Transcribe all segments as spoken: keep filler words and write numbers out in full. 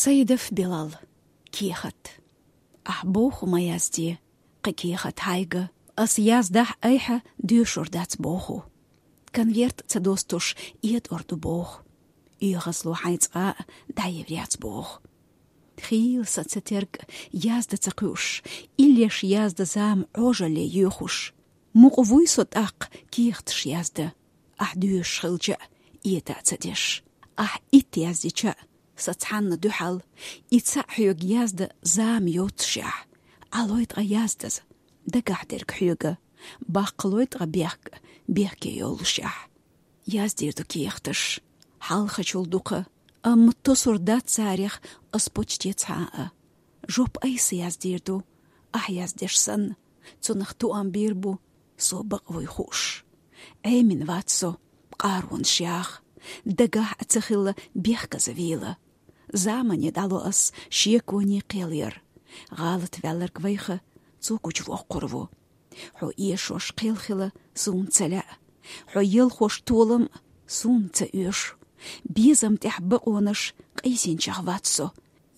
Саидов Билал. Кехат. Ахь боху ма язде, кхин кехат хьайга. Ас яздахь айхьа, доьшур дац боху. Конверт ца достуш, этӀор ду боху. ОьгӀазло хьайн цкъа а дӀаевр яц боху. Хийла сан ца терг, язда ца кхуьуш, иллеш язда зама Ӏожалле йоьхуш. Мукъа вуй со тӀаккха кехаташ язда, ахь доьшуш хилча а, этӀа а ца деш. Ахь итт яздича а, сан цхьанна дуьхьал, и цхьаъ хьоьга язда зама йоццушехь. Ӏалой ткъа яздаза, дагахь дерг хьоьга, баккхалой ткъа бехк, бехке йоллушехь. Яздийр ду кехаташ хьалхачул дукха, амма тосур дац царех ас почти цхьа а. Жоп айса яздийр ду, ахь яздеш санна, цунах тоам бийр бу, со бакъ вуй хууш. Ӏемина вац со, къаронаш яха, дагахь а ца хилла, бехказа вийла. Замане дӀало ас шеконе кхел яр. ГӀалат ваьлларг вайха, цо гучувоккхур ву. Хьо эшош кхел хила суна ца лаьа. Хьо елхош толам суна ца оьшу. Безам тӀехь бакъонаш къийсинчех вац со,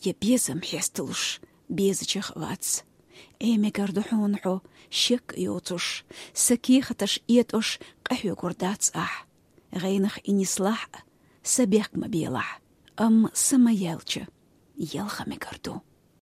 я безам хьесталуш безачех вац. Ӏе мегар ду хьуна хьо шек а йоцуш, сан кехаташ этӀош къахьоьгур дац ахь. ГӀенах и нислахь а, са бехк ма белахь, амма са ма яьлча, елха мегар ду.